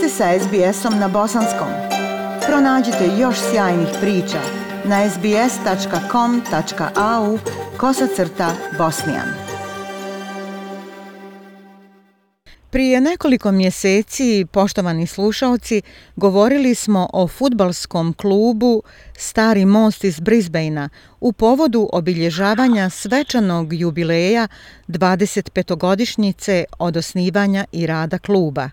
ste sa SBS-om na bosanskom. Pronađite još sjajnih priča na sbs.com.au/bosnijan. Prije nekoliko mjeseci, poštovani slušaoci, govorili smo o fudbalskom klubu Stari most iz Brisbanea u povodu obilježavanja svečanog jubileja 25-godišnjice od osnivanja i rada kluba.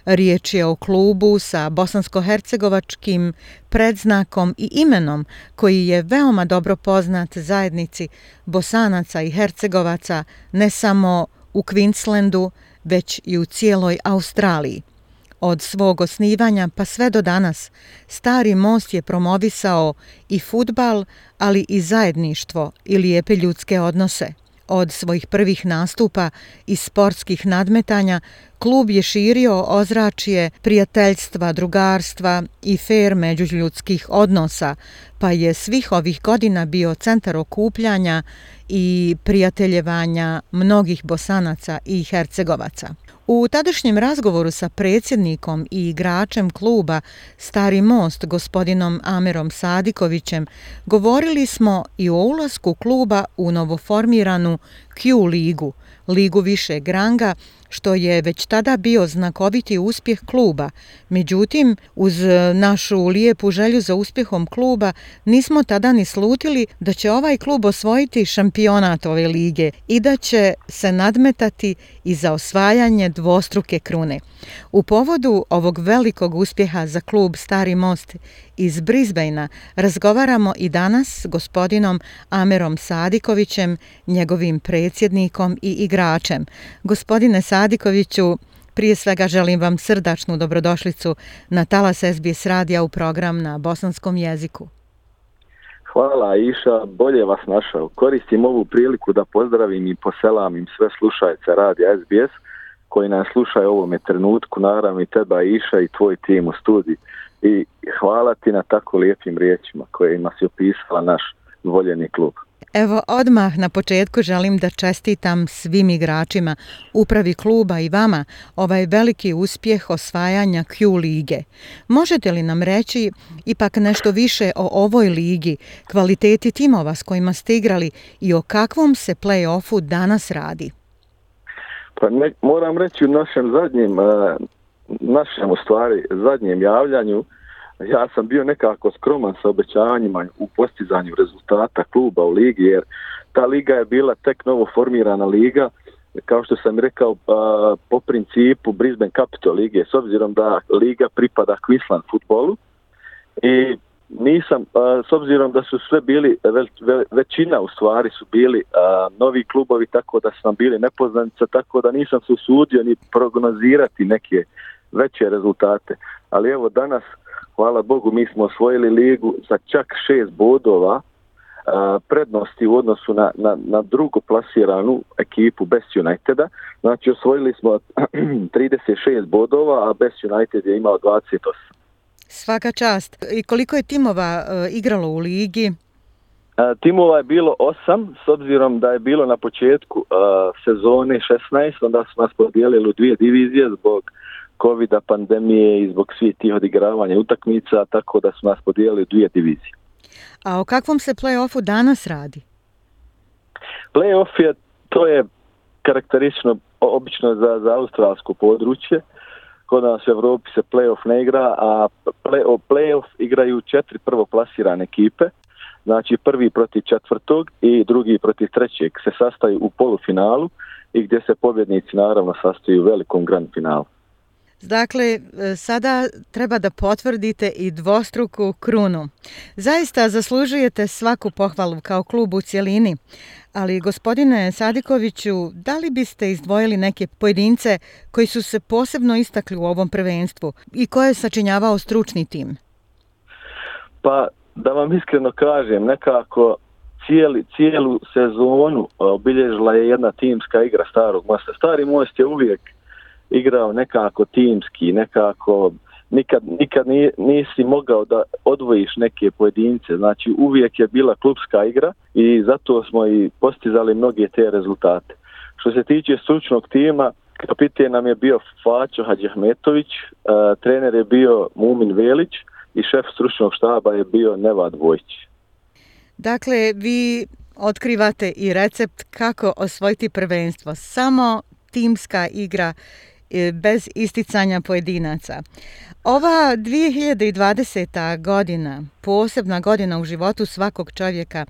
Riječ je o klubu sa bosansko-hercegovačkim predznakom i imenom koji je veoma dobro poznat zajednici Bosanaca i Hercegovaca ne samo u Queenslandu, već i u cijeloj Australiji. Od svog osnivanja pa sve do danas, Stari most je promovisao i fudbal, ali i zajedništvo i lijepe ljudske odnose. Od svojih prvih nastupa i sportskih nadmetanja, klub je širio ozračje prijateljstva, drugarstva i fer međuljudskih odnosa, pa je svih ovih godina bio centar okupljanja i prijateljevanja mnogih Bosanaca i Hercegovaca. U tadašnjem razgovoru sa predsjednikom i igračem kluba Stari most, gospodinom Amerom Sadikovićem, govorili smo i o ulasku kluba u novoformiranu Q ligu, ligu višeg ranga, što je već tada bio znakoviti uspjeh kluba. Međutim, uz našu lijepu želju za uspjehom kluba, nismo tada ni slutili da će ovaj klub osvojiti šampionat ove lige i da će se nadmetati i za osvajanje dvostruke krune. U povodu ovog velikog uspjeha za klub Stari most iz Brisbanea razgovaramo i danas s gospodinom Amerom Sadikovićem, njegovim predsjednikom i igračem. Gospodine Sadikoviću, prije svega želim vam srdačnu dobrodošlicu na talas SBS radija u program na bosanskom jeziku. Hvala Iša, bolje vas našao. Koristim ovu priliku da pozdravim i poselamim sve slušajce radija SBS koji nas slušaju u ovome trenutku, naravno i teba Iša i tvoj tim u studiji. I hvala ti na tako lijepim riječima kojima si opisala naš voljeni klub. Evo, odmah na početku želim da čestitam svim igračima, upravi kluba i vama ovaj veliki uspjeh osvajanja Q lige. Možete li nam reći ipak nešto više o ovoj ligi, kvaliteti timova s kojima ste igrali i o kakvom se play-offu danas radi? Pa moram reći u našem zadnjem javljanju, ja sam bio nekako skroman sa obećanjima u postizanju rezultata kluba u ligi, jer ta liga je bila tek novo formirana liga, kao što sam rekao, po principu Brisbane Capital lige, s obzirom da liga pripada Queensland futbolu. I nisam, s obzirom da su sve bili, većina u stvari su bili novi klubovi, tako da sam bili nepoznanica, tako da nisam se usudio ni prognozirati neke veće rezultate. Ali evo danas, hvala Bogu, mi smo osvojili ligu sa čak 6 bodova prednosti u odnosu na drugo plasiranu ekipu Best Uniteda. Znači osvojili smo 36 bodova, a Best United je imao 28. Svaka čast. I koliko je timova igralo u ligi? Timova je bilo 8, s obzirom da je bilo na početku sezone 16, onda smo nas podijelili u 2 divizije zbog covida, pandemije i zbog svih tih odigravanja utakmica, tako da smo nas podijelili u 2 divizije. A o kakvom se play-offu danas radi? Play-off to je karakteristično obično za australsko područje. Kod nas u Evropi se play-off ne igra, a play-off igraju 4 prvoplasirane ekipe. Znači prvi protiv četvrtog i drugi protiv trećeg se sastaju u polufinalu i gdje se pobjednici naravno sastaju u velikom grand finalu. Dakle, sada treba da potvrdite i dvostruku krunu. Zaista zaslužujete svaku pohvalu kao klub u cjelini, ali gospodine Sadikoviću, da li biste izdvojili neke pojedince koji su se posebno istakli u ovom prvenstvu i koje je sačinjavao stručni tim? Pa, da vam iskreno kažem, nekako cijelu sezonu obilježila je jedna timska igra Starog mosta. Stari most je uvijek igrao nekako timski, nekako nikad nisi mogao da odvojiš neke pojedince. Znači uvijek je bila klubska igra i zato smo i postizali mnoge te rezultate. Što se tiče stručnog tima, Kapiten nam je bio Faćo Hadžihmetović, trener je bio Mumin Velić i šef stručnog štaba je bio Nevad Vojić. Dakle, vi otkrivate i recept kako osvojiti prvenstvo. Samo timska igra bez isticanja pojedinaca. Ova 2020. godina, posebna godina u životu svakog čovjeka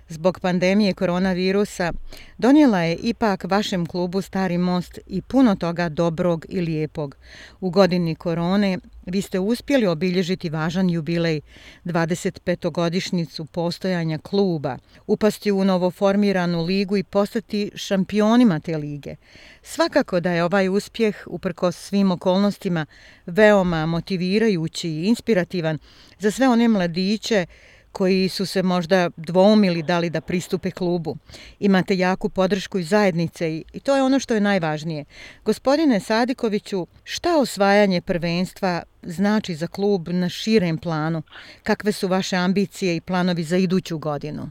zbog pandemije koronavirusa, donijela je ipak vašem klubu Stari Most i puno toga dobrog i lijepog. U godini korone vi ste uspjeli obilježiti važan jubilej, 25-godišnjicu postojanja kluba, upasti u novoformiranu ligu i postati šampionima te lige. Svakako da je ovaj uspjeh, uprkos svim okolnostima, veoma motivirajući i inspirativan za sve one mladiće koji su se možda dvoumili da li da pristupe klubu. Imate jaku podršku iz zajednice i to je ono što je najvažnije. Gospodine Sadikoviću, šta osvajanje prvenstva znači za klub na širem planu? Kakve su vaše ambicije i planovi za iduću godinu?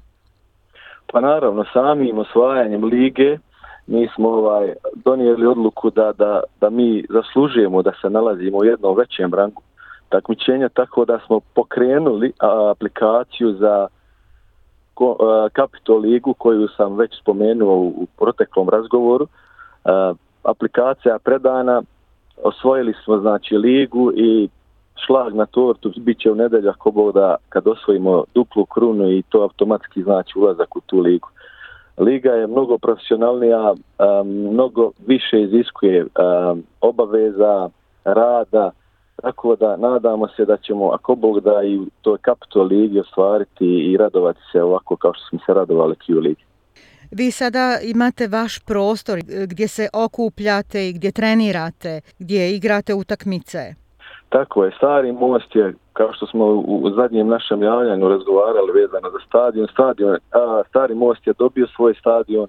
Pa naravno, samim osvajanjem lige mi smo donijeli odluku da mi zaslužujemo da se nalazimo u jednom većem rangu takmičenja, tako da smo pokrenuli aplikaciju za Capital ligu koju sam već spomenuo u proteklom razgovoru. Aplikacija je predana, osvojili smo znači ligu i šlag na tortu bit će u nedjelju ako Bog da kad osvojimo duplu krunu i to automatski znači ulazak u tu ligu. Liga je mnogo profesionalnija, mnogo više iziskuje obaveza, rada, tako da nadamo se da ćemo, ako Bog da, i u toj Capital ligi ostvariti i radovati se ovako kao što smo se radovali Q ligi. Vi sada imate vaš prostor gdje se okupljate i gdje trenirate, gdje igrate utakmice. Tako je, Stari Most je, kao što smo u zadnjem našem javljanju razgovarali vezano za stadion, Stari Most je dobio svoj stadion,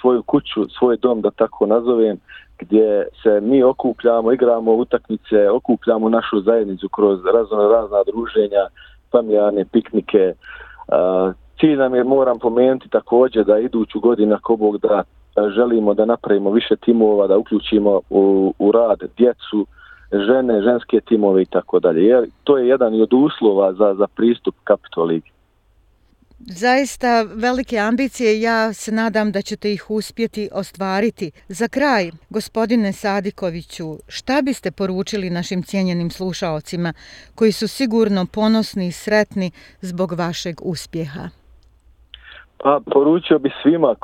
svoju kuću, svoj dom, da tako nazovem, gdje se mi okupljamo, igramo utakmice, okupljamo našu zajednicu kroz razna druženja, familijarne piknike. Cilj nam je, moram pomenuti također, da iduću godinu, ako Bog da, želimo da napravimo više timova, da uključimo u rad djecu, žene, ženske timove i tako dalje. Jer to je jedan od uslova za pristup Capital ligi. Zaista velike ambicije, ja se nadam da ćete ih uspjeti ostvariti. Za kraj, gospodine Sadikoviću, šta biste poručili našim cijenjenim slušaocima koji su sigurno ponosni i sretni zbog vašeg uspjeha? Pa poručio bi svima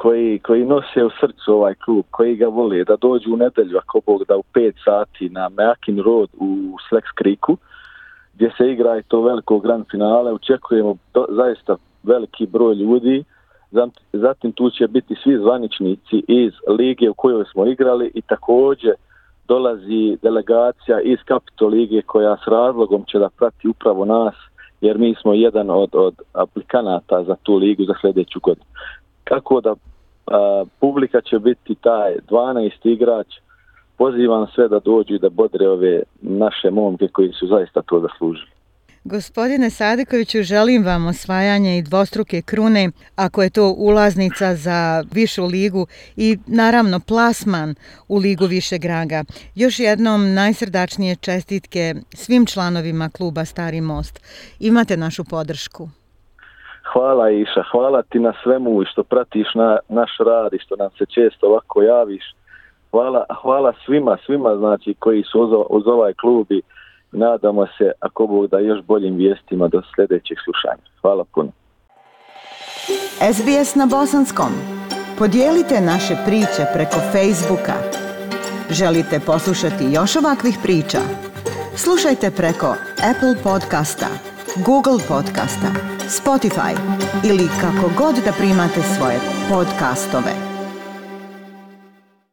koji nose u srcu ovaj klub, koji ga vole, da dođu u nedjelju, ako Bog da, u 5 sati na Meakin Road u Flex Creeku, gdje se igra i to veliko grand finale. Očekujemo zaista veliki broj ljudi. Zatim tu će biti svi zvaničnici iz lige u kojoj smo igrali i također dolazi delegacija iz Capital lige koja s razlogom će da prati upravo nas, jer mi smo jedan od aplikanata za tu ligu za sljedeću godinu. Kako da publika će biti taj 12 igrač. Pozivam sve da dođu i da bodre ove naše momke koji su zaista to zaslužili. Gospodine Sadikoviću, želim vam osvajanje i dvostruke krune, ako je to ulaznica za višu ligu i naravno plasman u ligu višeg ranga. Još jednom najsrdačnije čestitke svim članovima kluba Stari Most. Imate našu podršku. Hvala Iša, hvala ti na svemu i što pratiš naš rad i što nam se često ovako javiš. Hvala svima znači koji su uz ovaj klub i nadamo se, ako Bog da, još boljim vijestima do sljedećeg slušanja. Hvala puno. SBS na bosanskom. Podijelite naše priče preko Facebooka. Želite poslušati još ovakvih priča? Slušajte preko Apple podcasta, Google podcasta, Spotify ili kako god da primate svoje podcastove.